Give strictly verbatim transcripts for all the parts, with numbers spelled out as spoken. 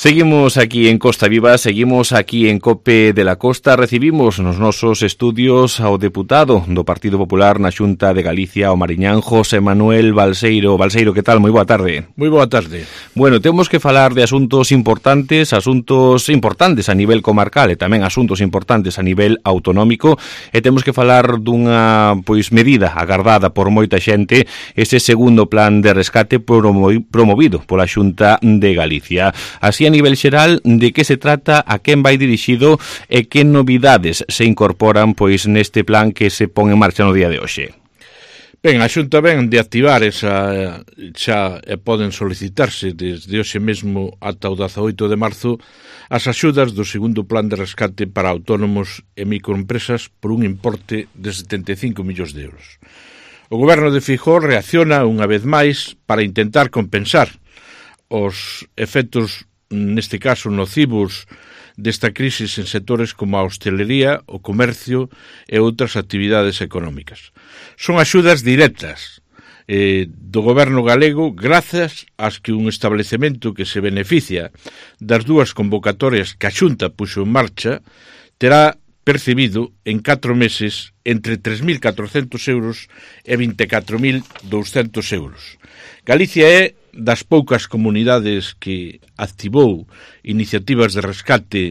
Seguimos aquí en Costa Viva, seguimos aquí en COPE de la Costa. Recibimos nos nosos estudios ao deputado do Partido Popular na Xunta de Galicia, o mariñán José Manuel Balseiro. Balseiro, que tal? Moi boa tarde. Moi boa tarde. Bueno, temos que falar de asuntos importantes, asuntos importantes a nivel comarcal e tamén asuntos importantes a nivel autonómico, e temos que falar dunha pois medida agardada por moita xente, ese segundo plan de rescate promovido pola Xunta de Galicia. Así, a nivel xeral, de que se trata, a quen vai dirixido e que novidades se incorporan pois neste plan que se pon en marcha no día de hoxe? Ben, a Xunta ven de activar esa, xa e poden solicitarse desde hoxe mesmo ata o dezaoito de marzo as axudas do segundo plan de rescate para autónomos e microempresas por un importe de setenta e cinco millóns de euros. O goberno de Feijóo reacciona unha vez máis para intentar compensar os efectos, neste caso nocivos, desta crise en sectores como a hostelería, o comercio e outras actividades económicas. Son axudas directas eh, do goberno galego grazas ás que un establecemento que se beneficia das dúas convocatorias que a Xunta puxo en marcha terá percibido en catro meses entre tres mil catrocentos euros e vinte e catro mil douscentos euros. Galicia é das poucas comunidades que activou iniciativas de rescate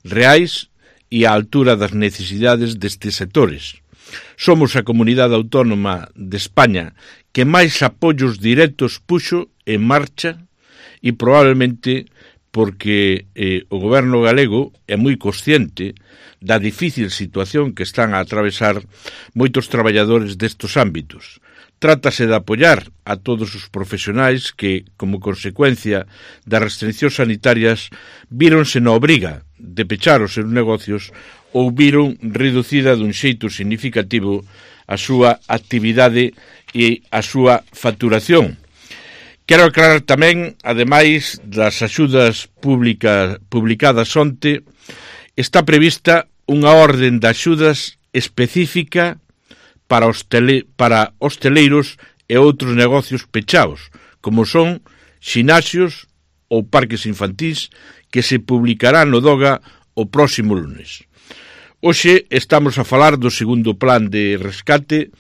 reais e á altura das necesidades destes sectores. Somos a comunidade autónoma de España que máis apoios directos puxo en marcha e probablemente porque eh, o goberno galego é moi consciente da difícil situación que están a atravesar moitos traballadores destes ámbitos. Trátase de apoiar a todos os profesionais que, como consecuencia das restriccións sanitarias, víronse na obriga de pechar os seus negocios ou viron reducida dun xeito significativo a súa actividade e a súa facturación. Quero aclarar tamén, ademais das axudas pública, publicadas onte, está prevista unha orden de axudas específica para, hostele, para hosteleiros e outros negocios pechados, como son xinaxios ou parques infantís, que se publicará no DOGA o próximo lunes. Hoxe estamos a falar do segundo plan de rescate,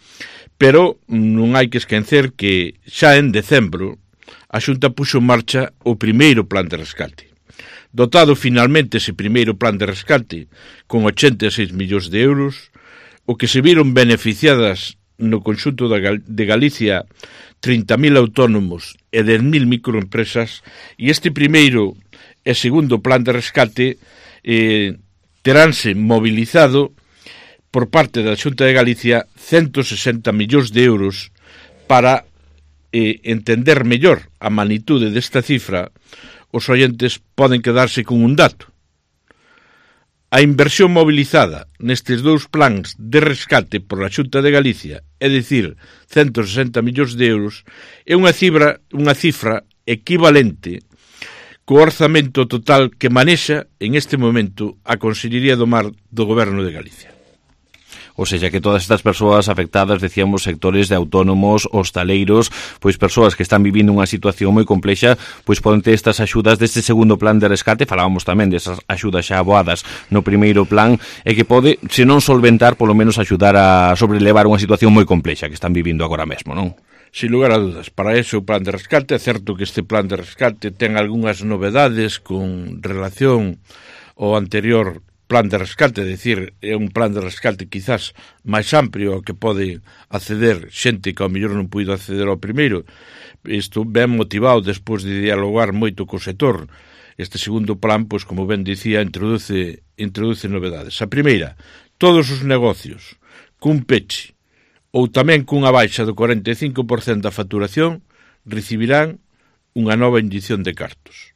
pero non hai que esquecer que xa en decembro a Xunta puxo en marcha o primeiro plan de rescate. Dotado finalmente ese primeiro plan de rescate con ochenta e seis millóns de euros, o que se viron beneficiadas no conxunto de Galicia trinta mil autónomos e dez mil microempresas, e este primeiro e segundo plan de rescate eh, teránse mobilizado por parte da Xunta de Galicia ciento sesenta millóns de euros. Para eh, entender mellor a magnitude desta cifra, os oyentes poden quedarse con un dato. A inversión mobilizada nestes dous plans de rescate por a Xunta de Galicia, é dicir, ciento sesenta millóns de euros, é unha cifra, unha cifra equivalente co orzamento total que manexa en este momento a Consellería do Mar do Goberno de Galicia. Ou seja, que todas estas persoas afectadas, decíamos, sectores de autónomos, hostaleiros, pois persoas que están vivindo unha situación moi complexa, pois poden ter estas axudas deste segundo plan de rescate. Falábamos tamén desas axudas xa aboadas no primeiro plan, e que pode, se non solventar, polo menos axudar a sobrelevar unha situación moi complexa que están vivindo agora mesmo, non? Sin lugar a dudas, para eso o plan de rescate, é certo que este plan de rescate ten algunhas novedades con relación ao anterior plan de rescate, é dicir, é un plan de rescate quizás máis amplio ao que pode acceder xente que ao mellor non puido acceder ao primeiro. Isto ben motivado despois de dialogar moito co sector. Este segundo plan, pois como ben dicía, introduce, introduce novedades. A primeira, todos os negocios cun peche ou tamén cunha baixa do cuarenta e cinco por cento da facturación recibirán unha nova inyección de cartos.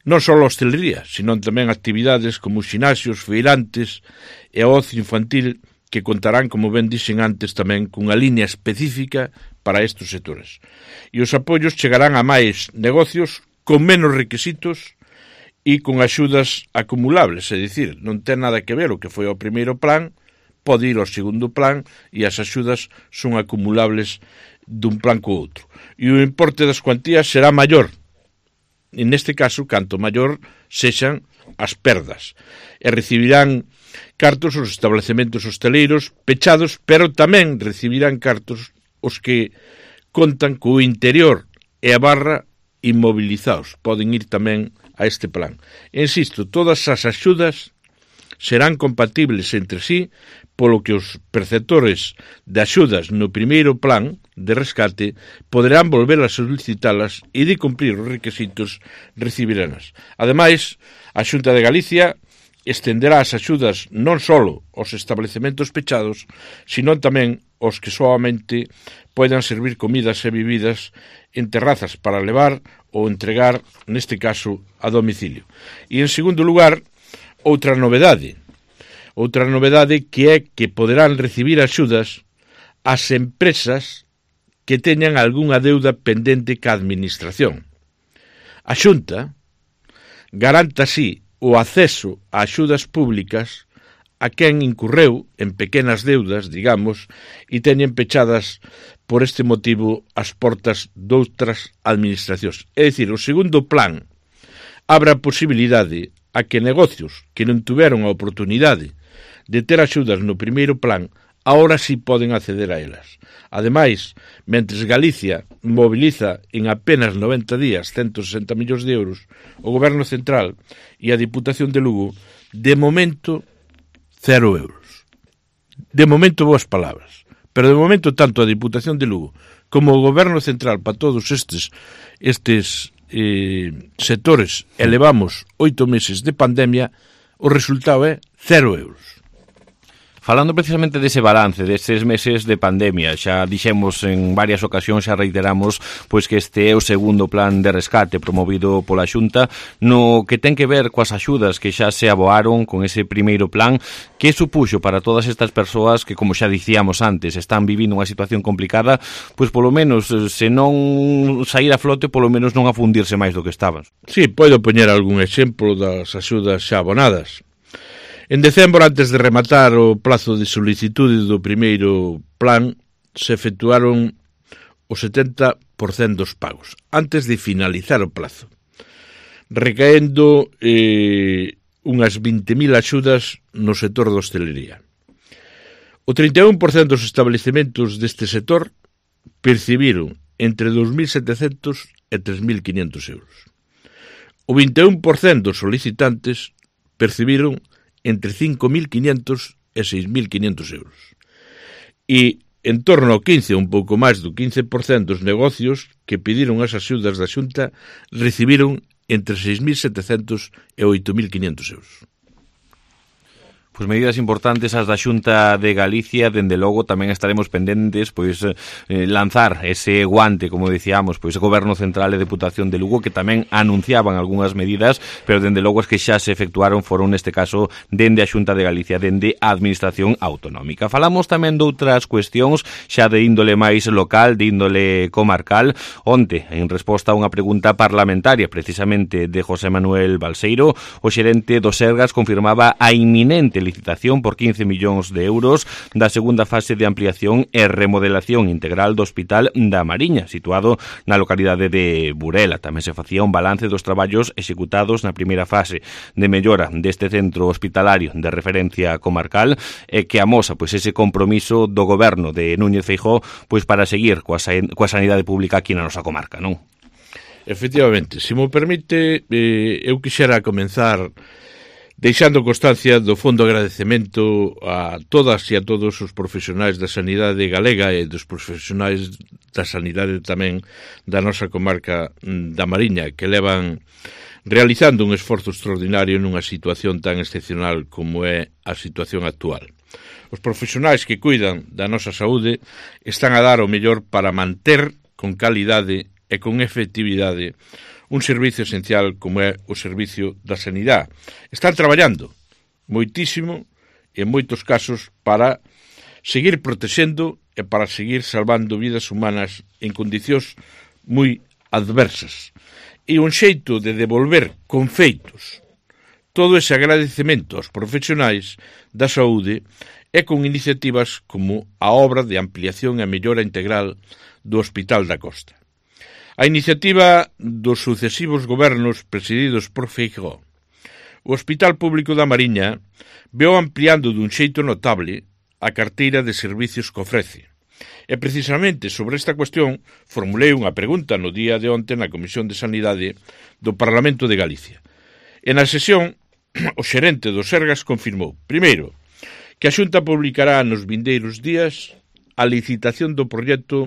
Non só a hostelería, senón tamén actividades como os xinaxios, feirantes e o ocio infantil, que contarán, como ben dixen antes, tamén cunha línea específica para estes sectores. E os apoios chegarán a máis negocios con menos requisitos e con axudas acumulables, é dicir, non ten nada que ver o que foi o primeiro plan, pode ir ao segundo plan e as axudas son acumulables dun plan co outro. E o importe das cuantías será maior neste caso, canto maior sexan as perdas. E recibirán cartos os establecementos hosteleiros pechados, pero tamén recibirán cartos os que contan co interior e a barra inmovilizados. Poden ir tamén a este plan. E insisto, todas as axudas serán compatibles entre sí, polo que os perceptores de axudas no primeiro plan de rescate poderán volver a solicitalas e de cumprir os requisitos recibiranas. Ademais, a Xunta de Galicia estenderá as axudas non só aos establecementos pechados, sino tamén os que soamente poidan servir comidas e bebidas en terrazas para levar ou entregar, neste caso, a domicilio. E, en segundo lugar, outra novedade. Outra novedade que é que poderán recibir axudas as empresas que teñan algunha deuda pendente ca administración. A Xunta garanta así o acceso a axudas públicas a quen incurreu en pequenas deudas, digamos, e teñen pechadas por este motivo as portas doutras administracións. É dicir, o segundo plan abre a posibilidade a que negocios que non tuveron a oportunidade de ter axudas no primeiro plan, agora sí poden acceder a elas. Ademais, mentres Galicia moviliza en apenas noventa días ciento sesenta millóns de euros, o Goberno Central e a Diputación de Lugo, de momento, cero euros. De momento, boas palabras. Pero de momento, tanto a Diputación de Lugo como o Goberno Central para todos estes estes eh, sectores elevamos oito meses de pandemia, o resultado é cero euros. Falando precisamente dese balance, destes meses de pandemia, xa dixemos en varias ocasións, xa reiteramos, pois que este é o segundo plan de rescate promovido pola Xunta, no que ten que ver coas axudas que xa se aboaron con ese primeiro plan, que supuxo para todas estas persoas que, como xa dicíamos antes, están vivindo unha situación complicada, pois polo menos, se non sair a flote, polo menos non afundirse máis do que estaban. Sí, podo poñer algún exemplo das axudas xa abonadas. En decembro, antes de rematar o plazo de solicitude do primeiro plan, se efectuaron o setenta por cento dos pagos, antes de finalizar o plazo, recaendo eh, unhas vinte mil axudas no sector da hostelería. O trinta e un por cento dos establecementos deste sector percibiron entre dous mil setecentos e tres mil quinhentos euros. O vinte e un por cento dos solicitantes percibiron entre cinco mil quinhentos e seis mil quinhentos euros. E en torno ao quince, un pouco máis do quince por cento dos negocios que pediron as axudas da Xunta recibiron entre seis mil setecentos e oito mil quinhentos euros. Pois medidas importantes as da Xunta de Galicia, dende logo tamén estaremos pendentes pois eh, lanzar ese guante, como dicíamos, pois o Goberno Central e Deputación de Lugo, que tamén anunciaban algunhas medidas, pero dende logo as que xa se efectuaron foron neste caso dende a Xunta de Galicia, dende a Administración Autonómica. Falamos tamén de outras cuestións xa de índole máis local, de índole comarcal. Onte, en resposta a unha pregunta parlamentaria precisamente de José Manuel Balseiro, o xerente do Sergas confirmaba a inminente licitación por quince millóns de euros da segunda fase de ampliación e remodelación integral do Hospital da Mariña, situado na localidade de Burela. Tamén se facía un balance dos traballos executados na primeira fase de mellora deste centro hospitalario de referencia comarcal e que amosa pois ese compromiso do goberno de Núñez Feijóo pois para seguir coa, coa sanidade pública aquí na nosa comarca, non? Efectivamente, se mo permite, eh, eu quixera comenzar deixando constancia do fondo agradecemento a todas e a todos os profesionais da sanidade galega e dos profesionais da sanidade tamén da nosa comarca da Mariña, que levan realizando un esforzo extraordinario nunha situación tan excepcional como é a situación actual. Os profesionais que cuidan da nosa saúde están a dar o mellor para manter con calidade e con efectividade un servicio esencial como é o servicio da sanidade. Están traballando moitísimo e en moitos casos para seguir protexendo e para seguir salvando vidas humanas en condicións moi adversas. E un xeito de devolver con feitos todo ese agradecemento aos profesionais da saúde é con iniciativas como a obra de ampliación e mellora integral do Hospital da Costa. A iniciativa dos sucesivos gobernos presididos por Feijóo, o Hospital Público da Mariña veo ampliando dun xeito notable a carteira de servicios que ofrece. E precisamente sobre esta cuestión formulei unha pregunta no día de onte na Comisión de Sanidade do Parlamento de Galicia. E na sesión, o xerente do Sergas confirmou, primeiro, que a Xunta publicará nos vindeiros días a licitación do proxecto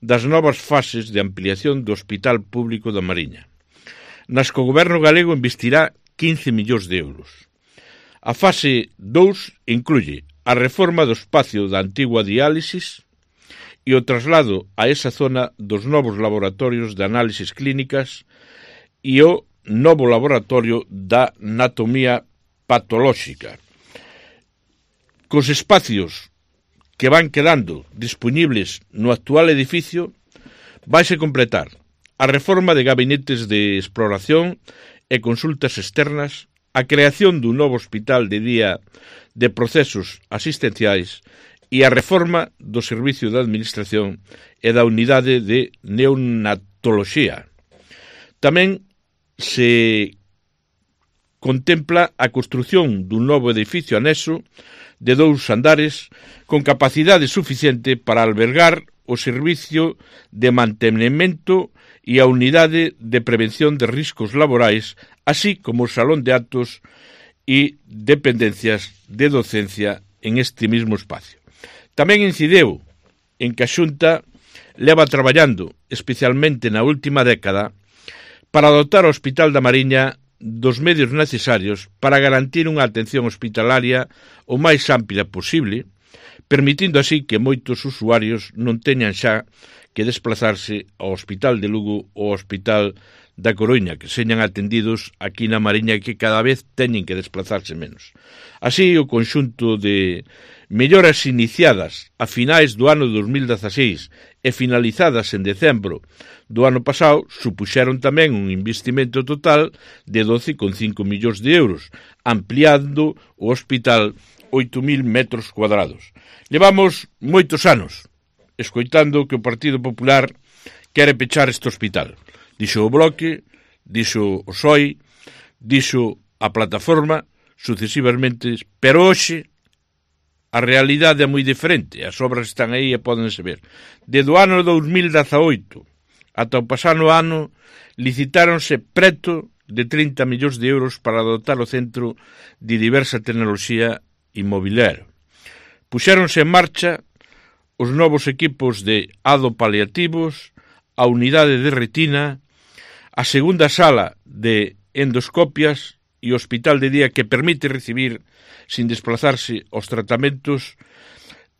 das novas fases de ampliación do Hospital Público da Mariña, nas que o Goberno galego investirá quince millóns de euros. A fase dous incluye a reforma do espacio da antigua diálisis e o traslado a esa zona dos novos laboratorios de análisis clínicas e o novo laboratorio da anatomía patolóxica. Cos espacios que van quedando disponibles no actual edificio, vaise completar a reforma de gabinetes de exploración e consultas externas, a creación dun novo hospital de día de procesos asistenciais e a reforma do Servicio de Administración e da Unidade de Neonatoloxía. Tamén se contempla a construción dun novo edificio anexo de dous andares con capacidade suficiente para albergar o servicio de mantemento e a unidade de prevención de riscos laborais, así como o salón de actos e dependencias de docencia en este mismo espacio. Tamén incideu en que a Xunta leva traballando, especialmente na última década, para dotar o Hospital da Mariña dos medios necesarios para garantir unha atención hospitalaria o máis ampla posible, permitindo así que moitos usuarios non teñan xa que desplazarse ao Hospital de Lugo ou ao Hospital da Coruña, que señan atendidos aquí na Mariña, que cada vez teñen que desplazarse menos. Así, o conxunto de melloras iniciadas a finais do ano dos mil dezaseis e finalizadas en decembro do ano pasado supuxeron tamén un investimento total de doce coma cinco millóns de euros, ampliando o hospital oito mil metros cuadrados. Levamos moitos anos escoitando que o Partido Popular quere pechar este hospital. Dixo o Bloque, dixo o P S O E, dixo a Plataforma, sucesivamente, pero hoxe a realidade é moi diferente, as obras están aí e pódense ver. Desde o ano dos mil dezaoito ata o pasado ano licitáronse preto de trinta millóns de euros para dotar o centro de diversa tecnoloxía inmobiliaria. Puxéronse en marcha os novos equipos de adopaliativos, a unidade de retina, a segunda sala de endoscopias e o hospital de día que permite recibir sin desplazarse os tratamentos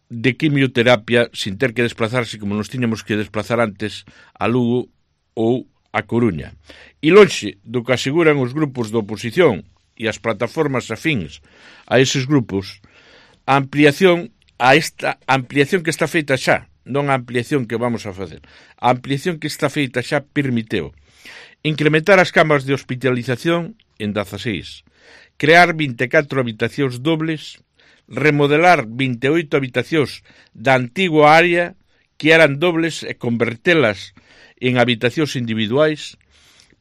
de quimioterapia sin ter que desplazarse como nos tiñamos que desplazar antes a Lugo ou a Coruña. E lonxe do que aseguran os grupos de oposición e as plataformas afíns a eses grupos, a ampliación a esta ampliación que está feita xa, non a ampliación que vamos a facer, a ampliación que está feita xa permiteu incrementar as camas de hospitalización en dezaseis, crear vinte e catro habitacións dobles, remodelar vinte e oito habitacións da antigua área que eran dobles e convertelas en habitacións individuais,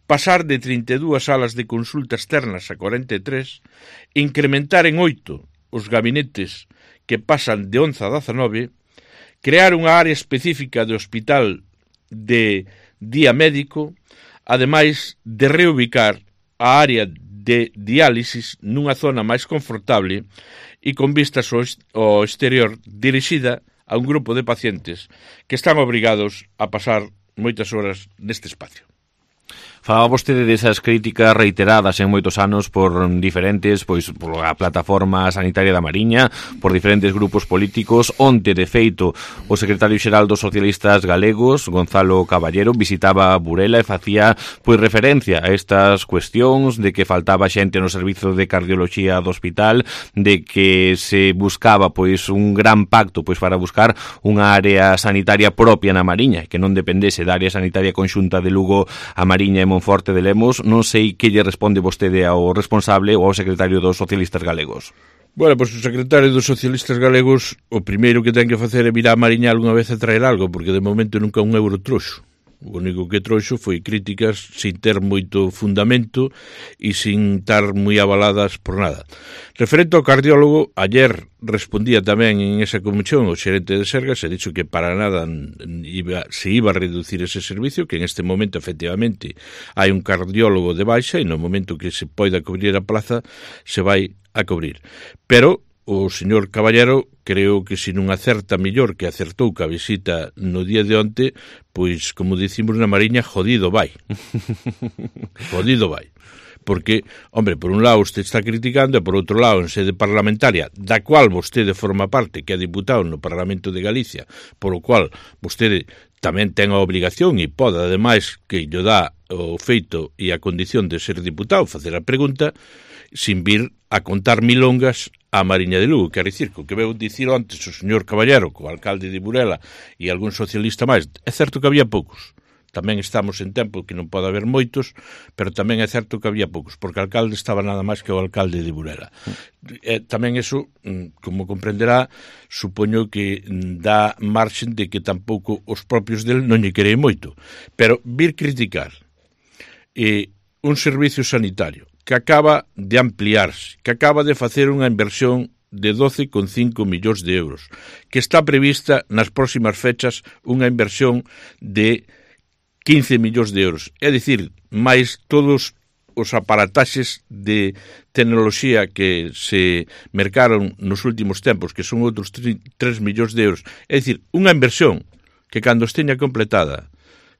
pasar de trinta e dúas salas de consulta externas a cuarenta e tres, incrementar en oito os gabinetes que pasan de once a dezanove, crear unha área específica de hospital de día médico, ademais de reubicar a área de diálisis nunha zona máis confortable e con vistas ao exterior dirixida a un grupo de pacientes que están obrigados a pasar moitas horas neste espacio. Falaba vostede desas críticas reiteradas en moitos anos por diferentes, pois, por a Plataforma Sanitaria da Mariña, por diferentes grupos políticos. Onte, de feito, o secretario xeral dos socialistas galegos, Gonzalo Caballero, visitaba Burela e facía, pois, referencia a estas cuestións de que faltaba xente no servizo de cardioloxía do hospital, de que se buscaba, pois, un gran pacto, pois, para buscar unha área sanitaria propia na Mariña, que non dependese da área sanitaria conxunta de Lugo a Mariña e Monforte de Lemos. Non sei que lle responde vostede ao responsable ou ao secretario dos socialistas galegos. Bueno, pois pues, o secretario dos socialistas galegos o primeiro que ten que facer é vir a Mariña algunha vez a traer algo, porque de momento nunca un euro trouxo. O único que trouxo foi críticas sin ter moito fundamento e sin estar moi avaladas por nada. Referente ao cardiólogo, ayer respondía tamén en esa comisión o xerente de Sergas e dixo que para nada iba, se iba a reducir ese servicio, que en este momento efectivamente hai un cardiólogo de baixa e no momento que se poida cubrir a plaza se vai a cubrir. Pero o señor Caballero creo que se non acerta mellor que acertou ca visita no día de onte, pois, como dicimos na Mariña, jodido vai. Jodido vai. Porque, hombre, por un lado usted está criticando e por outro lado, en sede parlamentaria, da cual vostede forma parte, que é diputado no Parlamento de Galicia, por o cual vostede tamén ten a obligación e pode, ademais, que lle dá o feito e a condición de ser diputado, facer a pregunta, sin vir a contar milongas a Mariña de Lugo. Quer dicir, co que veu dicir antes o señor Caballero, co alcalde de Burela e algún socialista máis, é certo que había poucos. Tamén estamos en tempo que non pode haber moitos, pero tamén é certo que había poucos, porque o alcalde estaba nada máis que o alcalde de Burela. E tamén eso, como comprenderá, supoño que dá marxen de que tampouco os propios del non lle querei moito. Pero vir criticar eh, un servicio sanitario que acaba de ampliarse, que acaba de facer unha inversión de doce coma cinco millóns de euros, que está prevista nas próximas fechas unha inversión de quince millóns de euros, é dicir, máis todos os aparataxes de tecnoloxía que se mercaron nos últimos tempos, que son outros tres millóns de euros, é dicir, unha inversión que cando esteña completada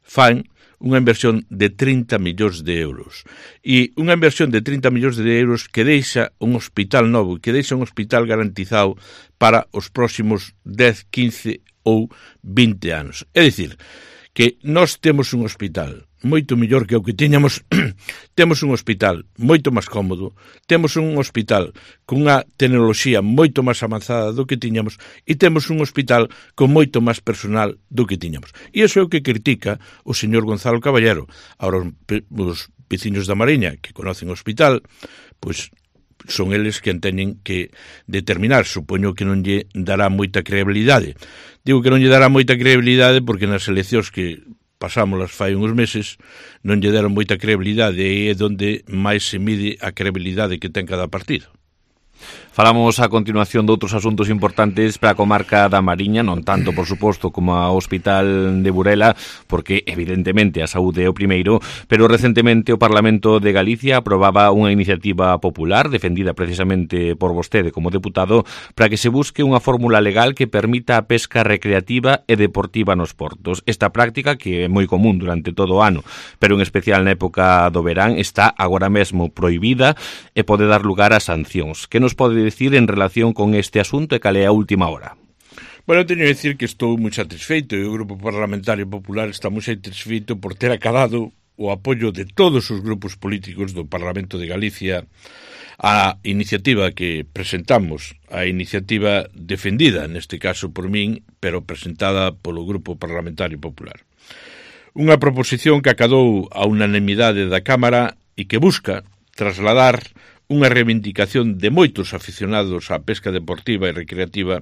fan unha inversión de trinta millóns de euros. E unha inversión de trinta millóns de euros que deixa un hospital novo, que deixa un hospital garantizado para os próximos dez, quince ou vinte anos. É dicir, que nós temos un hospital moito mellor que o que tiñamos, temos un hospital moito máis cómodo, temos un hospital cunha tecnoloxía moito máis avanzada do que tiñamos e temos un hospital con moito máis personal do que tiñamos. E iso é o que critica o señor Gonzalo Caballero. Ahora, os veciños da Mariña que conocen o hospital, pois son eles que teñen que determinar. Supoño que non lle dará moita credibilidade. Digo que non lle dará moita credibilidade porque nas eleccións que pasámolas fai uns meses non lle deron moita credibilidade e é onde máis se mide a credibilidade que ten cada partido. Falamos a continuación de outros asuntos importantes para a comarca da Mariña, non tanto, por suposto, como ao Hospital de Burela, porque, evidentemente, a saúde é o primeiro, pero recentemente o Parlamento de Galicia aprobaba unha iniciativa popular, defendida precisamente por vostede como deputado, para que se busque unha fórmula legal que permita a pesca recreativa e deportiva nos portos. Esta práctica, que é moi común durante todo o ano, pero en especial na época do verán, está agora mesmo prohibida e pode dar lugar a sancións. Que nos pode decir en relación con este asunto e cal é a última hora? Bueno, teño que decir que estou moi satisfeito e o Grupo Parlamentario Popular está moi satisfeito por ter acadado o apoio de todos os grupos políticos do Parlamento de Galicia a iniciativa que presentamos, a iniciativa defendida, neste caso por min, pero presentada polo Grupo Parlamentario Popular. Unha proposición que acadou a unanimidade da Cámara e que busca trasladar unha reivindicación de moitos aficionados á pesca deportiva e recreativa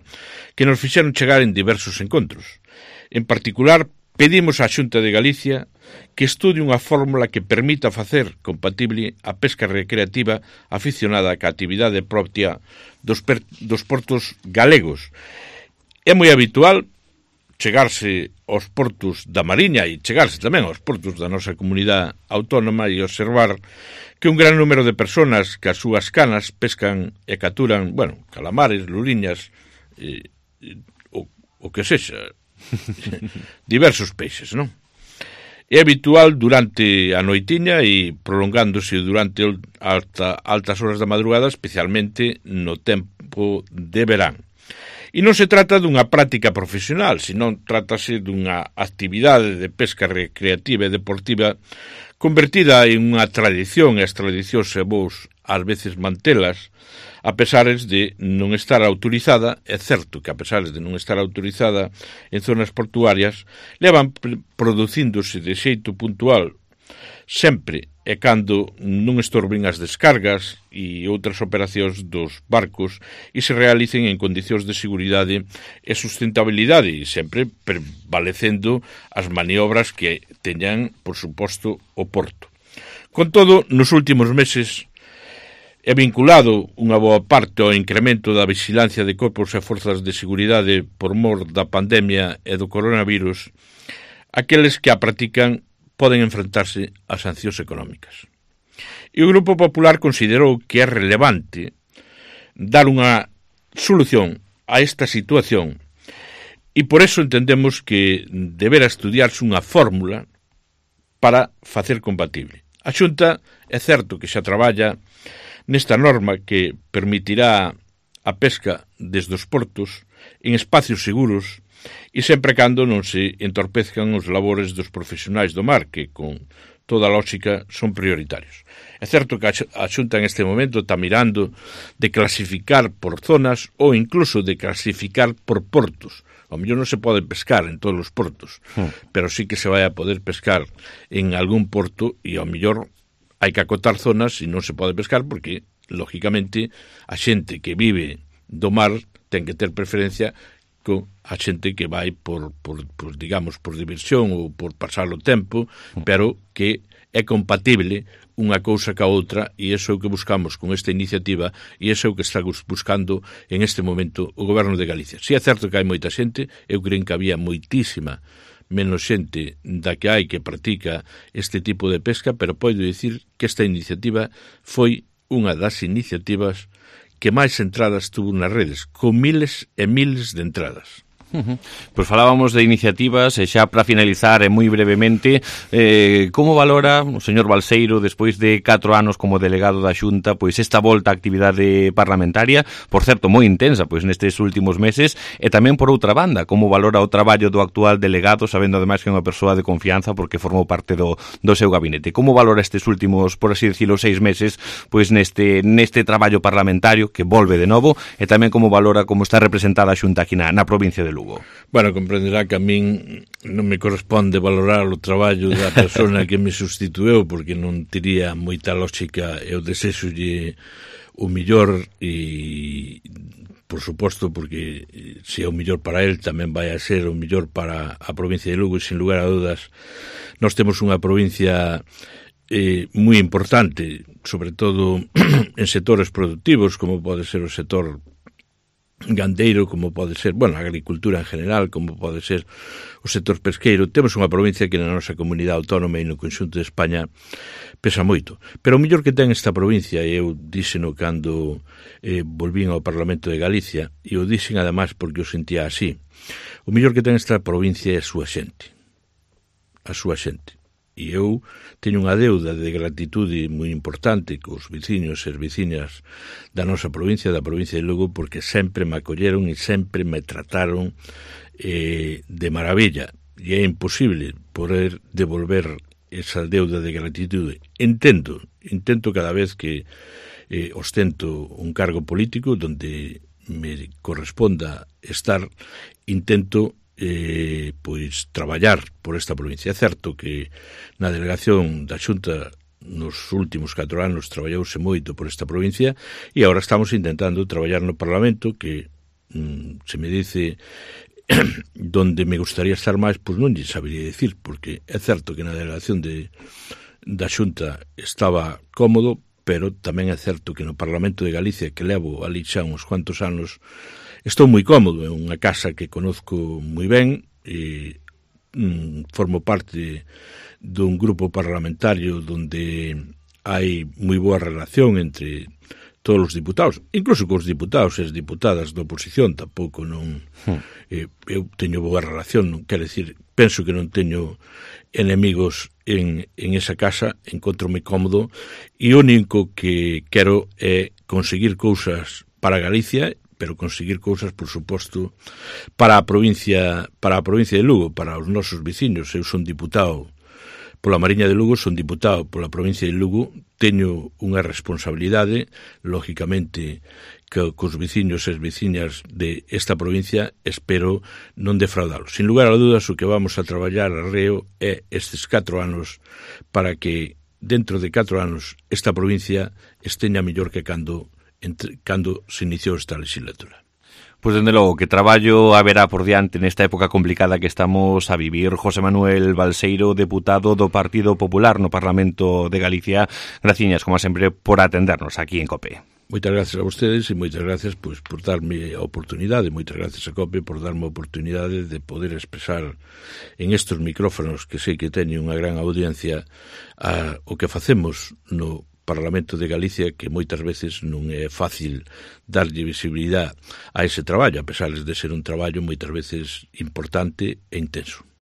que nos fixeron chegar en diversos encontros. En particular, pedimos á Xunta de Galicia que estude unha fórmula que permita facer compatible a pesca recreativa aficionada á actividade propia dos, per, dos portos galegos. É moi habitual chegarse aos portos da Mariña e chegarse tamén aos portos da nosa comunidade autónoma e observar que un gran número de personas que as súas canas pescan e capturan, bueno, calamares, luriñas, e, e, o, o que sexa, diversos peixes, non? É habitual durante a noitiña e prolongándose durante alta, altas horas da madrugada, especialmente no tempo de verán. E non se trata dunha práctica profesional, senón trátase dunha actividade de pesca recreativa e deportiva convertida en unha tradición, e as tradicións se vos ás veces mantelas, a pesares de non estar autorizada. É certo que a pesares de non estar autorizada en zonas portuarias, levan producíndose de xeito puntual sempre e cando non estorben as descargas e outras operacións dos barcos e se realicen en condicións de seguridade e sustentabilidade e sempre prevalecendo as maniobras que teñan, por suposto, o porto. Con todo, nos últimos meses é vinculado unha boa parte ao incremento da vigilancia de corpos e forzas de seguridade por mor da pandemia e do coronavirus, aqueles que a practican poden enfrentarse a sancións económicas. E o Grupo Popular considerou que é relevante dar unha solución a esta situación e por eso entendemos que deberá estudiarse unha fórmula para facer compatible. A Xunta é certo que xa traballa nesta norma que permitirá a pesca desde os portos en espacios seguros e sempre cando non se entorpezcan os labores dos profesionais do mar, que con toda a lógica son prioritarios. É certo que a Xunta en este momento está mirando de clasificar por zonas ou incluso de clasificar por portos. Ao mellor non se pode pescar en todos os portos, hmm. pero sí que se vai a poder pescar en algún porto e ao mellor hai que acotar zonas e non se pode pescar porque, lógicamente, a xente que vive do mar ten que ter preferencia con a xente que vai por, por, por, digamos, por diversión ou por pasar o tempo, pero que é compatible unha cousa ca outra e iso é o que buscamos con esta iniciativa e iso é o que está buscando en este momento o Goberno de Galicia. Si é certo que hai moita xente, eu creo que había moitísima menos xente da que hai que practica este tipo de pesca, pero podo dicir que esta iniciativa foi unha das iniciativas que máis entradas tuvo nas redes, con miles e miles de entradas. Uh-huh. Pois falábamos de iniciativas e xa para finalizar e moi brevemente, eh, como valora o señor Balseiro despois de catro anos como delegado da Xunta pois esta volta á actividade parlamentaria, por certo moi intensa pois nestes últimos meses, e tamén por outra banda, como valora o traballo do actual delegado, sabendo ademais que é unha persoa de confianza porque formou parte do, do seu gabinete. Como valora estes últimos, por así decirlo, seis meses pois neste, neste traballo parlamentario que volve de novo, e tamén como valora como está representada a Xunta aquí na, na provincia de Lugo? Bueno, comprenderá que a min non me corresponde valorar o traballo da persona que me sustitueu porque non tería moita lógica. Eu desexolle o millor e, por suposto, porque se é o millor para el tamén vai a ser o millor para a provincia de Lugo e, sin lugar a dudas, nós temos unha provincia eh, moi importante, sobre todo en sectores productivos, como pode ser o sector gandeiro, como pode ser, bueno, a agricultura en general, como pode ser o sector pesqueiro. Temos unha provincia que na nosa comunidade autónoma e no conxunto de España pesa moito. Pero o mellor que ten esta provincia, e eu díxeno cando eh, volvín ao Parlamento de Galicia, e o dixen además porque o sentía así, o mellor que ten esta provincia é a súa xente. A súa xente. E eu teño unha deuda de gratitude moi importante cos veciños e as veciñas da nosa provincia, da provincia de Lugo, porque sempre me acolleron e sempre me trataron eh, de maravilla. E é imposible poder devolver esa deuda de gratitude. Entendo, intento cada vez que eh, ostento un cargo político donde me corresponda estar, intento Eh, pois traballar por esta provincia. É certo que na delegación da Xunta nos últimos catro anos traballouse moito por esta provincia e agora estamos intentando traballar no Parlamento, que mm, se me dice donde me gustaría estar máis, pois non lle sabería dicir, porque é certo que na delegación de, da Xunta estaba cómodo, pero tamén é certo que no Parlamento de Galicia, que levo ali xa uns cuantos anos, estou moi cómodo. É unha casa que conozco moi ben e mm, formo parte dun grupo parlamentario donde hai moi boa relación entre todos os diputados, incluso cos diputados e as diputadas da oposición. Tampouco non eh, eu teño boa relación, non quero decir, penso que non teño enemigos en, en esa casa, encontro-me cómodo e o único que quero é conseguir cousas para Galicia, pero conseguir cousas, por suposto, para a provincia, para a provincia de Lugo, para os nosos veciños. Eu son diputado pola Mariña de Lugo, son diputado pola provincia de Lugo, teño unha responsabilidade, lógicamente, que cos veciños e as veciñas de esta provincia, espero non defraudalos. Sin lugar a dudas, o que vamos a traballar arreo é estes catro anos para que dentro de catro anos esta provincia esteña mellor que cando, entre, cando se iniciou esta legislatura. Pois, dende logo, que traballo haberá por diante nesta época complicada que estamos a vivir. José Manuel Balseiro, deputado do Partido Popular no Parlamento de Galicia, graciñas, como sempre, por atendernos aquí en COPE. Moitas gracias a vostedes e moitas gracias pois, por darme a oportunidade, moitas gracias a COPE por darme a oportunidade de poder expresar en estes micrófonos que sei que teñen unha gran audiencia a, o que facemos no Parlamento de Galicia, que moitas veces non é fácil darlle visibilidade a ese traballo, a pesar de ser un traballo moitas veces importante e intenso.